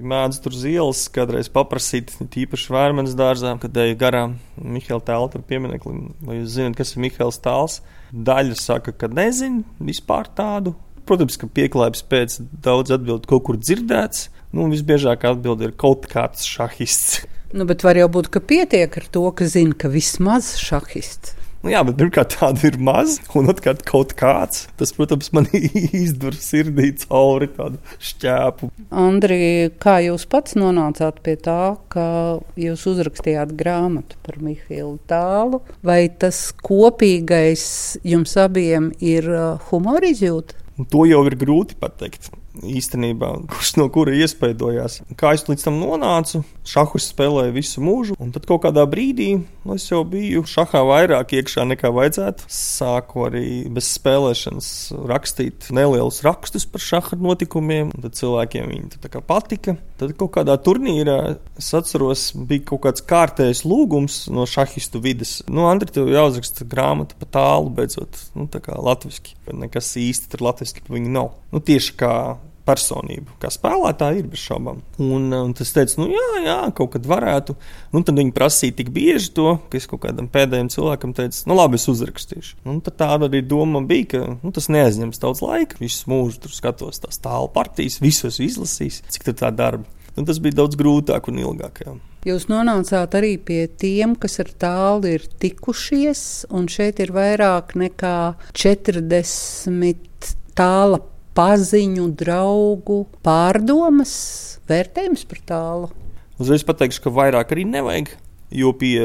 Mēdzu tur uz ielas kādreiz paprasīt, tīpaši Vērmanas dārzā, kad eju garām Mihaila Tāla tur piemineklim. Vai jūs zināt, kas ir Mihails Tāls? Daļa saka, ka nezin vispār tādu. Protams, ka pieklājības pēc daudz atbild kaut kur dzirdēts. Visbiežāk atbild ir kaut kāds šahists. Bet var jau būt, ka pietiek ar to, ka zina, ka vismaz šahists. Jā, bet pirmkārt tāda ir maz, un otrkārt kaut kāds. Tas, protams, man izdur sirdī cauri tādu šķēpu. Andri, kā jūs pats nonācāt pie tā, ka jūs uzrakstījāt grāmatu par Mihailu Tālu? Vai tas kopīgais jums abiem ir humora izjūta? To jau ir grūti pateikt. Īstenībā, kurš no kura iespaidojās. Kā es līdz tam nonācu, šahus spēlēju visu mūžu, un tad kaut kādā brīdī es jau biju šahā vairāk iekšā nekā vajadzētu. Sāku arī bez spēlēšanas rakstīt nelielus rakstus par šaha notikumiem, un tad cilvēkiem viņi tā kā patika. Tad kaut kādā turnīrā, es atceros, bija kaut kāds kārtējs lūgums no šahistu vides. Andri, tev jāuzraksta grāmata pa Tālu beidzot, tā kā latviski. Nekas īsti tur latviski pa viņu nav. Tieši kā personību, kā spēlētāji ir bez šaubām. Un tas teica, jā, kaut kad varētu. Tad viņi prasīja tik bieži to, ka es kaut kādam pēdējiem cilvēkam teicu, labi, es uzrakstīšu. Tad tāda arī doma bija, ka tas neaizņems daudz laika. Visu mūžu tur skatos tās Tālu partijas, visus izlasīs, cik tur tā darba. Tas bija daudz grūtāk un ilgāk. Jā. Jūs nonācāt arī pie tiem, kas ar Tālu ir tikušies, un šeit ir vairāk nekā 40 Tāla paziņu, draugu pārdomas, vērtējums par Tālu. Uzreiz pateikšu, ka vairāk arī nevajag, jo pie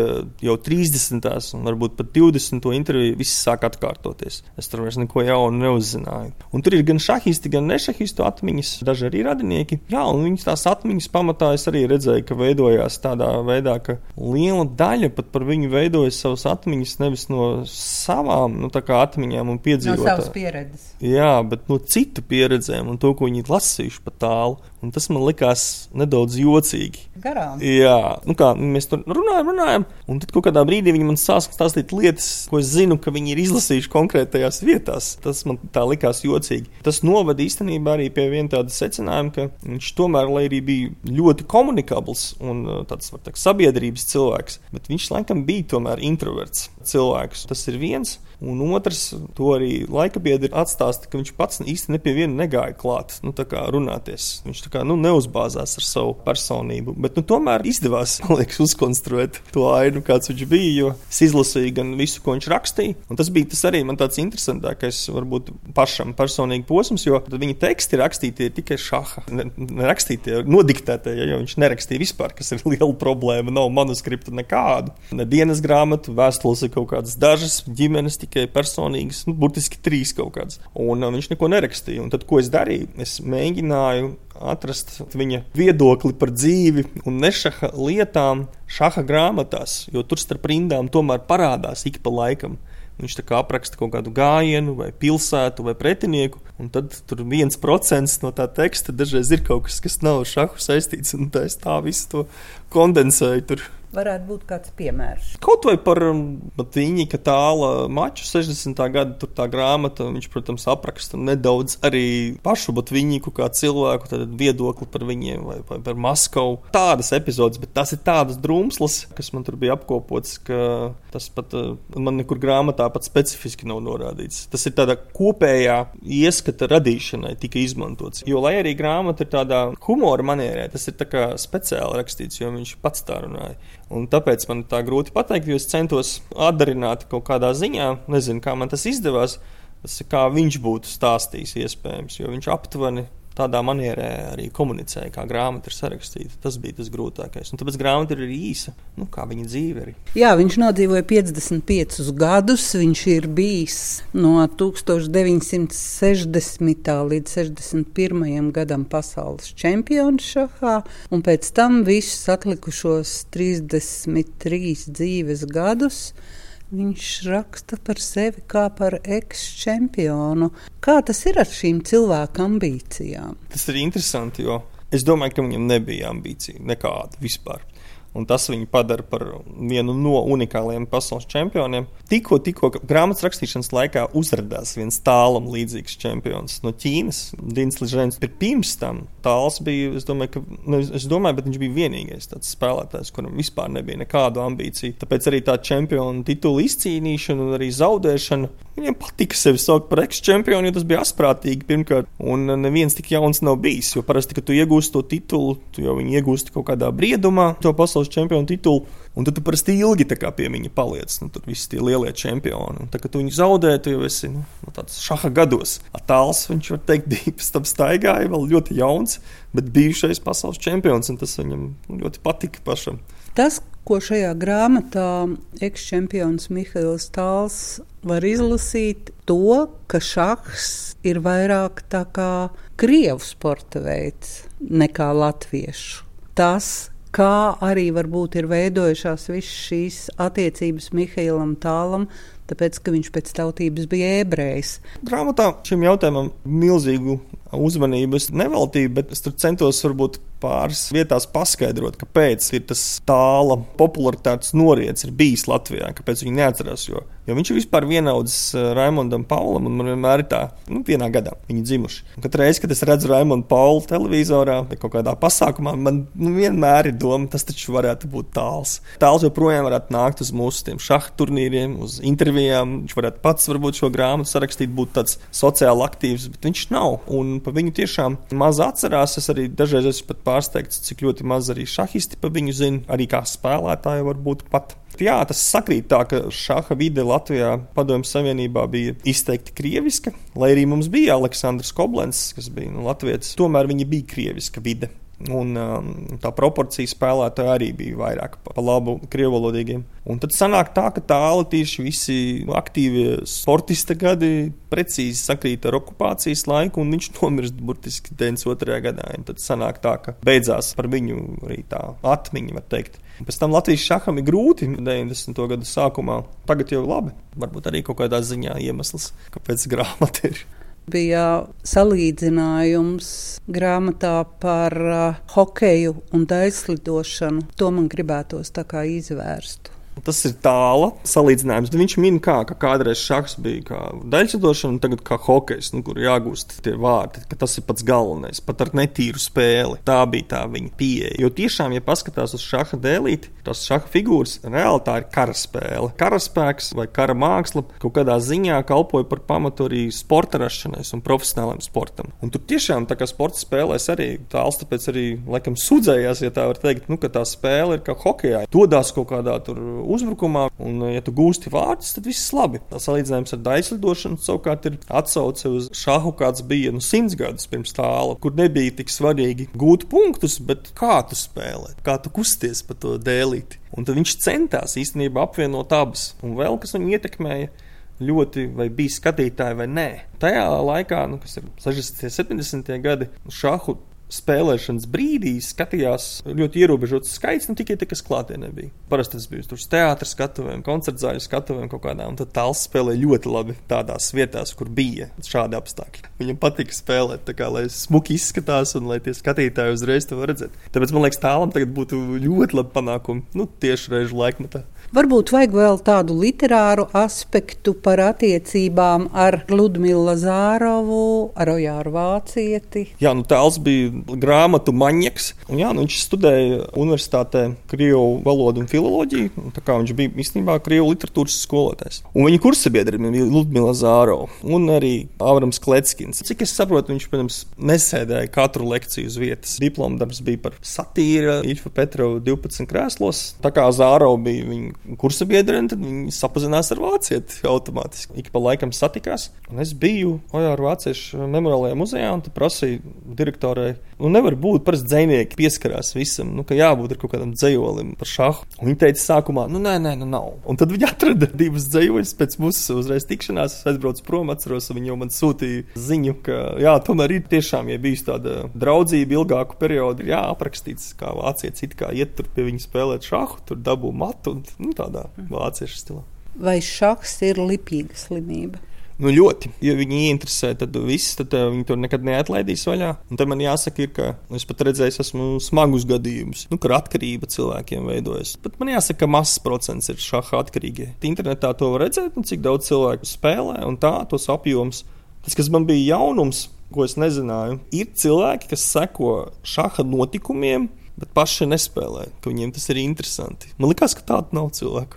jau 30. un varbūt pat 20. interviju viss sāk atkārtoties. Es tur vairs neko jaunu neuzzināju. Un tur ir gan šahisti, gan nešahistu atmiņas, daži arī radinieki. Jā, un viņas tās atmiņas pamatā es arī redzēju, ka veidojās tādā veidā, ka liela daļa pat par viņu veidojas savas atmiņas nevis no savām, tā kā atmiņām un piedzīvotā. No savas pieredzes. Jā, bet no citu pieredzēm un to, ko viņi lasījuši pa Tālu. Un tas man likās nedaudz jocīgi. Garām. Jā, kā mēs tur runājam, un tad kaut kādā brīdī viņi man sāk stāstīt lietas, ko es zinu, ka viņi ir izlasījuši konkrētajās vietās. Tas man tā likās jocīgi. Tas novada īstenībā arī pie viena tāda secinājuma, ka viņš tomēr, lai arī bija ļoti komunikabls un tāds, var teikt, sabiedrības cilvēks, bet viņš laikam bija tomēr introverts cilvēks. Tas ir viens. Un otrs, to arī laikabiedri atstāsta, ka viņš pats īsti ne pie viena negāja klāt, tā kā runāties. Viņš tā kā, neuzbāzās ar savu personību, bet, tomēr izdevās, man liekas, uzkonstruēt to ainu, kāds viņš bija, jo es izlasīju gan visu, ko viņš rakstīja, un tas bija tas arī man tāds interesantākais, varbūt pašam personīgi posms, jo tad viņa teksti rakstītie ir tikai šaha, nerakstītie, nodiktētie, jo viņš nerakstīja vispār, kas ir liela problēma, nav manuskripta nekādu, ne dienas grāmatu, vēstules ir kaut kādas dažas, ģimenes tikai personīgas, burtiski 3 kaut kādas. Un viņš neko nerakstīja. Un tad, ko es darīju? Es mēģināju atrast viņa viedokli par dzīvi un nešaha lietām šaha grāmatās, jo tur starp rindām tomēr parādās ik pa laikam. Viņš tā kā apraksta kaut kādu gājienu vai pilsētu vai pretinieku, un tad tur 1% no tā teksta dažreiz ir kaut kas, kas nav šahu saistīts, un tā es tā visu to kondensēju tur. Varētu būt kāds piemērs. Kaut vai par Batvīņika Tāla maču 60. gada, tur tā grāmata, viņš, protams, apraksta nedaudz arī pašu Batvīņiku kā cilvēku, tad viedokli par viņiem vai par Maskavu. Tādas epizodes, bet tas ir tādas drumslas, kas man tur bija apkopots, ka tas pat man nekur grāmatā pat specifiski nav norādīts. Tas ir tādā kopējā ieskata radīšanai tika izmantots. Jo, lai arī grāmata ir tādā humora manierē, tas ir tā kā speciāli rakstīts, jo viņš pats tā runāja. Un tāpēc man tā grūti pateikt, jo es centos atdarināt kaut kādā ziņā, nezinu, kā man tas izdevās, tas ir kā viņš būtu stāstījis iespējams, jo viņš aptuveni tādā manierē arī komunicēja, kā grāmata ir sarakstīta. Tas bija tas grūtākais. Un tāpēc grāmata ir arī īsa, kā viņa dzīve arī. Jā, viņš nodzīvoja 55 gadus, viņš ir bijis no 1960. līdz 61. gadam pasaules čempions šahā, un pēc tam visus atlikušos 33 dzīves gadus viņš raksta par sevi kā par eks-čempionu. Kā tas ir ar šīm cilvēku ambīcijām? Tas ir interesanti, jo es domāju, ka viņam nebija ambīcija nekāda vispār. un tas viņu padara par vienu no unikāliem pasaules čempioniem. Tikko grāmatas rakstīšanas laikā uzradās viens Tālam līdzīgs čempions no Ķīnas, Dins Ližēns. Pirms tam Tāls bija, es domāju, bet viņš bija vienīgais tāds spēlētājs, kuram vispār nebija nekādu ambīciju. Tāpēc arī tā čempiona titula izcīnīšana un arī zaudēšana, viņiem patika sevi saukt par ex-čempionu, jo tas bija asprātīgi pirmkārt, un neviens tik jauns nav bijis, jo parasti, kad tu iegūsti to titulu, tu jau viņu iegūsti kaut kādā briedumā, to pasaules čempionu titulu, un tad tu parasti ilgi tā kā pie viņa paliec, tur visi tie lielie čempioni. Un tā, kad tu viņu zaudē, tu jau esi tāds šaha gados. Tāls, viņš var teikt, bija pēc tam staigāja, vēl ļoti jauns, bet bijušais pasaules čempions, un tas viņam ļoti patika pašam. Tas, ko šajā grāmatā eks-čempions Mihails Tāls var izlasīt, to, ka šahs ir vairāk tā kā krievu sporta veids nekā latviešu. Tas, kā arī varbūt ir veidojušās visas šīs attiecības Mihailam Tālam, tāpēc, ka viņš pēc tautības bija ebrejs. Grāmatā šim jautājumam milzīgu uzmanību es neveltīju, bet es tur centos varbūt pāris vietās paskaidrot, kāpēc ir tas Tāla popularitātes noriets ir bijis Latvijā, kāpēc viņi neatcerās, jo viņš ir vispār vienaudzis Raimondam Paulam, un man vienmēr ir tā, vienā gadā viņi dzimuši. Un katru reizi, kad es redzu Raimondu Paulu televizorā vai kaut kādā pasākumā, man vienmēr ir doma, tas taču varētu būt Tāls. Tāls joprojām varētu nākt uz mūsu tiem šaha turnīriem, uz intervijām, viņš varētu pats varbūt šo grāmatu sarakstīt, būt tāds sociāli aktīvs, bet viņš nav, un pa viņu tiešām maz atcerās. Es arī dažreiz esmu pat pārsteigts, cik ļoti maz arī šahisti pa viņu zina, arī kā spēlētāji varbūt pat. Jā, tas sakrīt tā, ka šaha vide Latvijā Padomju Savienībā bija izteikti krieviska, lai arī mums bija Aleksandrs Koblents, kas bija latvietis, tomēr viņa bija krieviska vide. Un tā proporcija spēlētāji arī bija vairāk pa labu krievalodīgiem. Un tad sanāk tā, ka Tāla tieši visi aktīvie sportista gadi precīzi sakrīt ar okupācijas laiku, un viņš nomirst burtiski 92. gadā. Un tad sanāk tā, ka beidzās par viņu arī tā atmiņa, var teikt. Un pēc tam Latvijas šaham ir grūti 90. gadu sākumā. Tagad jau labi, varbūt arī kaut kādā ziņā iemesls, kāpēc grāmata ir. Bija salīdzinājums grāmatā par hokeju un daļslidošanu. To man gribētos tā kā izvērstu. Tas ir Tāla salīdzinājums. Viņš min kā kādreiz šahs bija kā daļslidošana, un tagad kā hokejs, kur jāgūst tie vārdi, ka tas ir pats galvenais, pat ar netīru spēli. Tā bija tā viņa pieeja. Jo tiešām, ja paskatās uz šaha dēlīti, tās šaha figūras, reāli tā ir karaspēle. Karaspēks vai kara māksla kaut kādā ziņā kalpoja par pamatu arī sporta rašanais un profesionāliem sportam. Un tur tiešām tā kā sporta spēlēs arī Tāls tāpēc arī laikam sudzējās, ja tā var teikt, ka tā spēle ir kā hokejā. Dodās kaut kādā tur uzbrukumā, un ja tu gūsti vārdus, tad viss labi. Tā salīdzinājums ar daļslidošanu savukārt ir atsauce uz šahu, kāds bija 100 gadus pirms Tāla, kur nebija tik svarīgi gūt punktus, bet kā tu spēlē, kā tu kusties pa to dēlīti. Un tad viņš centās īstenībā apvienot abas. Un vēl, kas viņu ietekmēja ļoti, vai bija skatītāji vai nē. Tajā laikā, kas ir 60. 70. gadi, šahu spēlēšanas brīdī skatījās ļoti ierobežots skaits, tikai tie, kas klātienē bija. Parasti tas bija tur teātra skatuvēm, koncertzāļu skatuvēm kaut kādā, un tad Tāls spēlēja ļoti labi tādās vietās, kur bija šādi apstākļi. Viņam patika spēlēt, tā kā, lai smuki izskatās un lai tie skatītāji uzreiz to var redzēt. Tāpēc, man liekas, Tālam tagad būtu ļoti labi panākumi, tieši reižu laikmetā. Varbūt vajag vēl tādu literāru aspektu par attiecībām ar Ludmilu Lazārovu, ar Ojāru Vācieti. Jā, Tāls bija grāmatu maņieks, un viņš studēja universitātē krievu valodu un filoloģiju, tā kā viņš bija īstenībā krievu literatūras skolotājs. Un viņa kursabiedri bija Ludmila Lazārova un arī Avrams Kleckins. Cik es saprotu, viņš, protams, nesēdēja katru lekciju uz vietas. Diplomdarbs bija par satīra, Iļfa Petrova 12 krēslos. Tā kā Zārova bija viņa kursabiedri, tad viņi sapazinās ar vācieti automātiski. Ik pa laikam satikās. Un es biju Ojāru Vāciešu memoriālajā muzejā un prasīju direktorai, nevar būt, parasti dzejnieki pieskarās visam, ka jābūt ar kaut kādam dzejolim par šahu. Un viņi teica sākumā, nē, nav. Un tad viņi atrada divas dzejoļus pēc mūsu uzreiz tikšanās. Es aizbraucu prom, atceros, un viņi jau man sūtīja ziņu, ka tomēr ir tiešām, ja bijis tāda draudzība ilgāku periodu, ir aprakstīts, kā vācietis it kā iet tur pie viņa spēlēt šahu, tur dabū matu un tādā vāciešu stilā. Vai šahs ir lipīga slimība? Nu, ļoti. Ja viņi ieinteresē, tad viss, tad viņi to nekad neatlaidīs vaļā. Un te man jāsaka, ka es pat redzēju, esmu smagus gadījumus, kur atkarība cilvēkiem veidojas. Pat man jāsaka, ka mazs procents ir šaha atkarīgie. Internetā to var redzēt, cik daudz cilvēku spēlē un tā, tos apjoms. Tas, kas man bija jaunums, ko es nezināju, ir cilvēki, kas seko šaha notikumiem, bet paši nespēlē, ka viņiem tas ir interesanti. Man likās, ka tāda nav cilvēku.